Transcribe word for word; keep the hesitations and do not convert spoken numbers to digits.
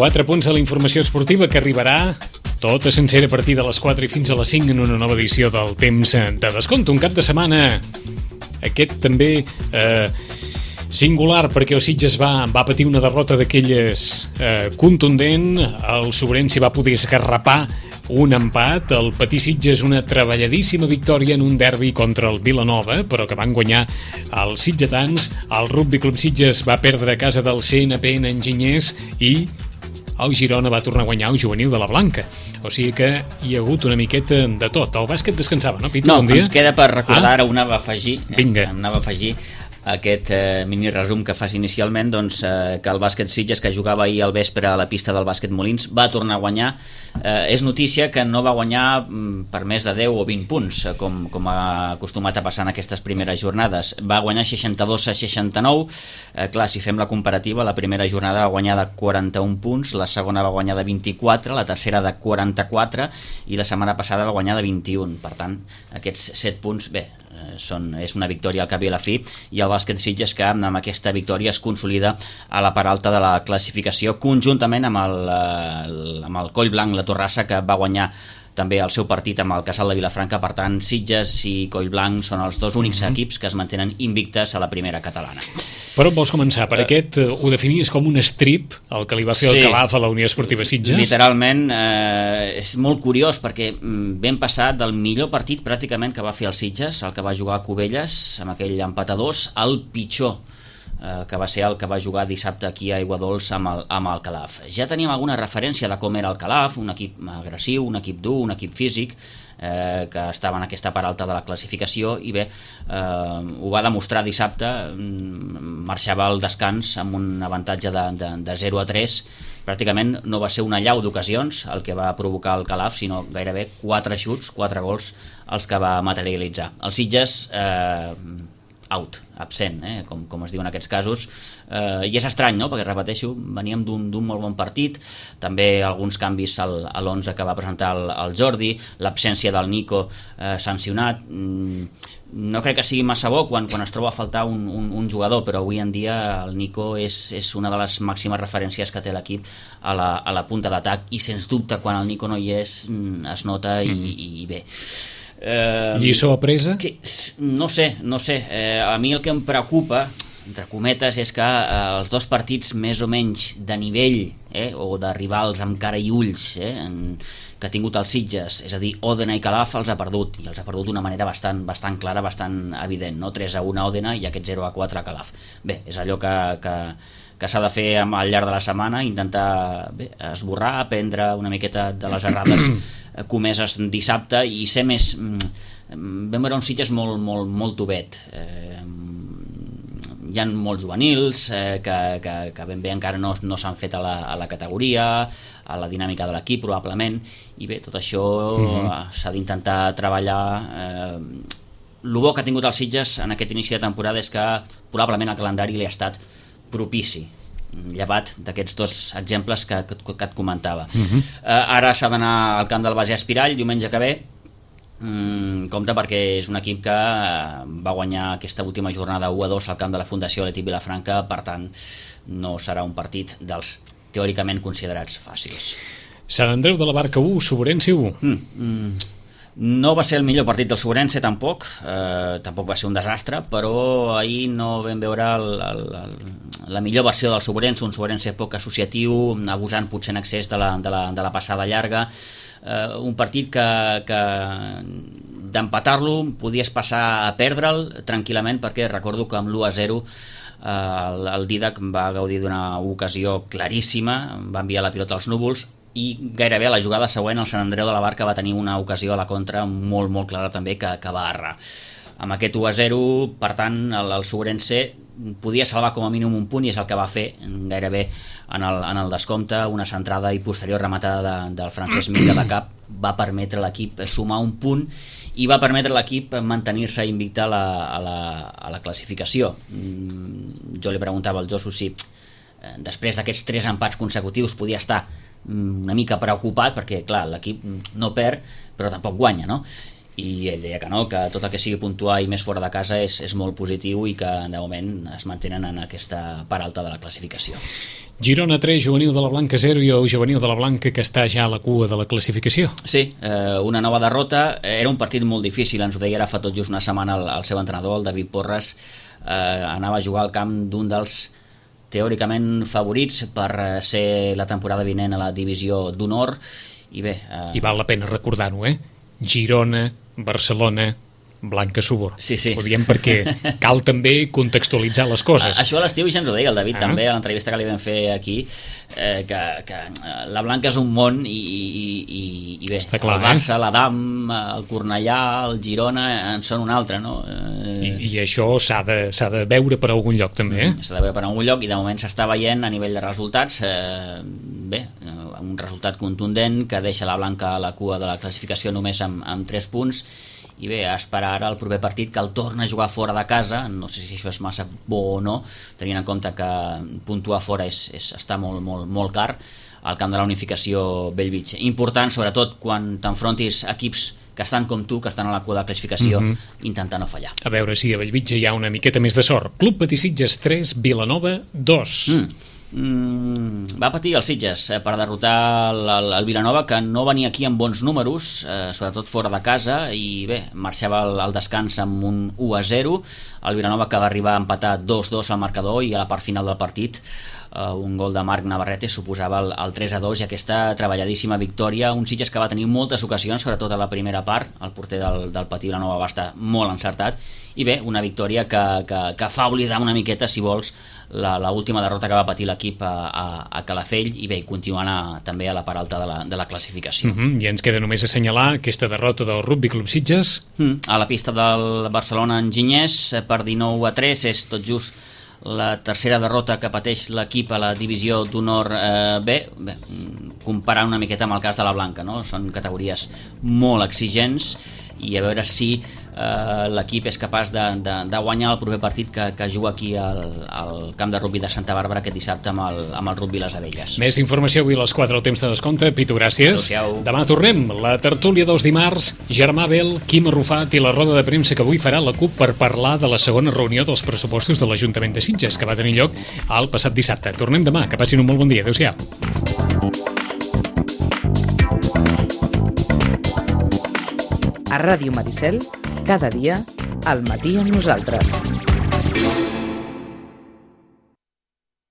Quatre punts de la informació esportiva que arribarà tota sencera a partir de les quatre i fins a les cinc en una nova edició del Temps de Descompte. Un cap de setmana, aquest també eh, singular, perquè el Sitges va, va patir una derrota d'aquelles eh, contundent. El Sobrense va poder esgarrapar un empat, el Patí Sitges una treballadíssima victòria en un derbi contra el Vilanova, però que van guanyar els sitgetans. El Rugby Club Sitges va perdre a casa del C N P en Enginyers i el Girona va tornar a guanyar el juvenil de la Blanca. O sigui que hi ha hagut una miqueta de tot. El bàsquet descansava, no, Pitu? No, bon dia. Ens queda per recordar, ah? ara ho anava a afegir, eh? Vinga. Anava a afegir aquest eh, mini resum que fas inicialment, doncs, eh, que el bàsquet Sitges, que jugava ahir al vespre a la pista del bàsquet Molins, va tornar a guanyar. Eh, és notícia que no va guanyar mm, per més de deu o vint punts, eh, com, com ha acostumat a passar en aquestes primeres jornades. Va guanyar seixanta-dos a seixanta-nou. Eh, clar, si fem la comparativa, la primera jornada va guanyar de quaranta-un punts, la segona va guanyar de vint-i-quatre, la tercera de quaranta-quatre i la setmana passada va guanyar de vint-i-un. Per tant, aquests set punts, bé, Són, és una victòria al cap i a la fi, i el bàsquet Sitges que amb aquesta victòria es consolida a la part alta de la classificació, conjuntament amb el, amb el Collblanc, la Torrassa, que va guanyar també el seu partit amb el Casal de Vilafranca. Per tant, Sitges i Collblanc són els dos únics mm-hmm. equips que es mantenen invictes a la primera catalana. Per on vols començar? Per uh, aquest uh, ho definies com un strip, el que li va fer sí, el Calaf a la Unió Esportiva Sitges? Literalment, eh, és molt curiós perquè vam passar del millor partit pràcticament que va fer el Sitges, el que va jugar a Cubelles amb aquell empat a dos, al pitjor, eh, que va ser el que va jugar dissabte aquí a Aiguadols amb el, amb el Calaf. Ja teníem alguna referència de com era el Calaf, un equip agressiu, un equip dur, un equip físic, Eh, que estava en aquesta part alta de la classificació, i bé, eh, ho va demostrar dissabte. Marxava al descans amb un avantatge de, de, de zero a tres. Pràcticament no va ser una llau d'ocasions el que va provocar el Calaf, sinó gairebé quatre xuts, quatre gols els que va materialitzar. El Sitges eh, out, absent, eh, com, com es diu en aquests casos, eh, i és estrany, no?, perquè, repeteixo, veníem d'un molt bon partit, també alguns canvis al, a l'onze que va presentar el, el Jordi, l'absència del Nico eh, sancionat. Mm, no crec que sigui massa bo quan, quan es troba a faltar un, un, un jugador, però avui en dia el Nico és, és una de les màximes referències que té l'equip a la, a la punta d'atac, i sens dubte quan el Nico no hi és es nota, i, mm. i bé. Eh, Lliçó apresa? Que, no sé, no sé. Eh, a mi el que em preocupa, entre cometes, és que eh, els dos partits més o menys de nivell, eh, o de rivals amb cara i ulls, eh, en, que ha tingut els Sitges, és a dir, Òdena i Calaf, els ha perdut, i els ha perdut d'una manera bastant, bastant clara, bastant evident, no? tres a un a Òdena i aquest zero a quatre a Calaf. Bé, és allò que, que, que s'ha de fer al llarg de la setmana, intentar bé, esborrar, aprendre una miqueta de les errades comeses dissabte i ser més... Vam veure un Sitges molt, molt, molt tovet. Eh, hi ha molts juvenils eh, que, que, que ben bé encara no, no s'han fet a la, a la categoria, a la dinàmica de l'equip probablement, i bé, tot això mm-hmm. s'ha d'intentar treballar. Eh, el bo que ha tingut el Sitges en aquest inici de temporada és que probablement el calendari li ha estat propici, llevat d'aquests dos exemples que, que, que et comentava. Uh-huh. eh, ara s'ha d'anar al camp del Base Espirall diumenge que ve. mm, compte perquè és un equip que va guanyar aquesta última jornada u a dos al camp de la Fundació Leti Vilafranca, per tant no serà un partit dels teòricament considerats fàcils. Sant Andreu de la Barca u, Sobrense u. mm, mm. No va ser el millor partit del Sobrense, tampoc, eh, tampoc va ser un desastre, però ahir no vam veure el, el, el, la millor versió del Sobrense, un Sobrense poc associatiu, abusant potser en excés de la, de la, de la passada llarga, eh, un partit que, que d'empatar-lo podies passar a perdre'l tranquil·lament, perquè recordo que amb l'u a zero eh, el, el Didac va gaudir d'una ocasió claríssima, va enviar la pilota als núvols, i gairebé a la jugada següent el Sant Andreu de la Barca va tenir una ocasió a la contra molt molt clara també que, que va errar. Amb aquest u a zero, per tant, el, el Sobrense podia salvar com a mínim un punt, i és el que va fer gairebé en el, en el descompte. Una centrada i posterior rematada de, del Francesc Minga de cap va permetre a l'equip sumar un punt i va permetre a l'equip mantenir-se invicte a la, a la, a la classificació. Jo li preguntava al Josu si després d'aquests tres empats consecutius podia estar una mica preocupat, perquè clar, l'equip no perd però tampoc guanya, no? i ell deia que no, que tot el que sigui puntuar i més fora de casa és, és molt positiu i que de moment es mantenen en aquesta part alta de la classificació. Girona tres, Juvenil de la Blanca zero i el Juvenil de la Blanca que està ja a la cua de la classificació. Sí, eh, una nova derrota, era un partit molt difícil, ens ho deia ara fa tot just una setmana el, el seu entrenador, el David Porras, eh, anava a jugar al camp d'un dels teòricament favorits per ser la temporada vinent a la divisió d'honor i bé... Eh... I val la pena recordar-ho, eh? Girona, Barcelona, Blanca Subur. Sí, sí. Ho diem perquè cal també contextualitzar les coses. Això a l'estiu ja ens ho deia el David ah. també a l'entrevista que li vam fer aquí, eh, que, que la Blanca és un món i, i, i, i bé, està clar, el Barça, eh? l'Adam, el Cornellà, el Girona en són un altre, no? Eh... I, I això s'ha de, s'ha de veure per algun lloc també, eh? S'ha de veure per algun lloc i de moment s'està veient a nivell de resultats, eh, bé, un resultat contundent que deixa la Blanca a la cua de la classificació només amb, amb tres punts i bé, a esperar ara el proper partit que el torna a jugar fora de casa, no sé si això és massa bo o no, tenint en compte que puntuar fora és, és, està molt, molt, molt car al camp de la Unificació Bellvitge. Important, sobretot, quan t'enfrontis equips que estan com tu, que estan a la cua de la classificació, mm-hmm. intentar no fallar. A veure si a Bellvitge hi ha una miqueta més de sort. Club Patí Sitges tres, Vilanova dos. Mm. Mm, va patir els Sitges eh, per derrotar el, el, el Vilanova, que no venia aquí amb bons números, eh, sobretot fora de casa, i bé, marxava al, al descans amb un u a zero. El Vilanova que va arribar a empatar dos dos al marcador i a la part final del partit Uh, un gol de Marc Navarrete suposava el, el tres a dos i aquesta treballadíssima victòria, un Sitges que va tenir moltes ocasions, sobretot a la primera part, el porter del, del Patí Vilanova va estar molt encertat i bé, una victòria que, que, que fa oblidar una miqueta, si vols, la, la última derrota que va patir l'equip a, a, a Calafell i bé, continuant a, també a la part alta de la, de la classificació. Uh-huh. I ens queda només assenyalar aquesta derrota del Rugby Club Sitges. Mm, a la pista del Barcelona Enginyers per dinou a tres, és tot just la tercera derrota que pateix l'equip a la divisió d'honor eh, B, bé, comparant una miqueta amb el cas de la Blanca, no? Són categories molt exigents i a veure si eh, l'equip és capaç de, de, de guanyar el proper partit que, que juga aquí al, al camp de rugbi de Santa Bàrbara aquest dissabte amb el, amb el rugbi Les Abelles. Més informació avui a les quatre al temps de descompte. Pitu, gràcies. Adéu-siau. Demà tornem. La tertúlia dels dimarts, Germà Bel, Quim Arrufat i la roda de premsa que avui farà la CUP per parlar de la segona reunió dels pressupostos de l'Ajuntament de Sitges que va tenir lloc el passat dissabte. Tornem demà. Que passin un molt bon dia. Adéu-siau. A Ràdio Maricel, cada dia, al matí amb nosaltres.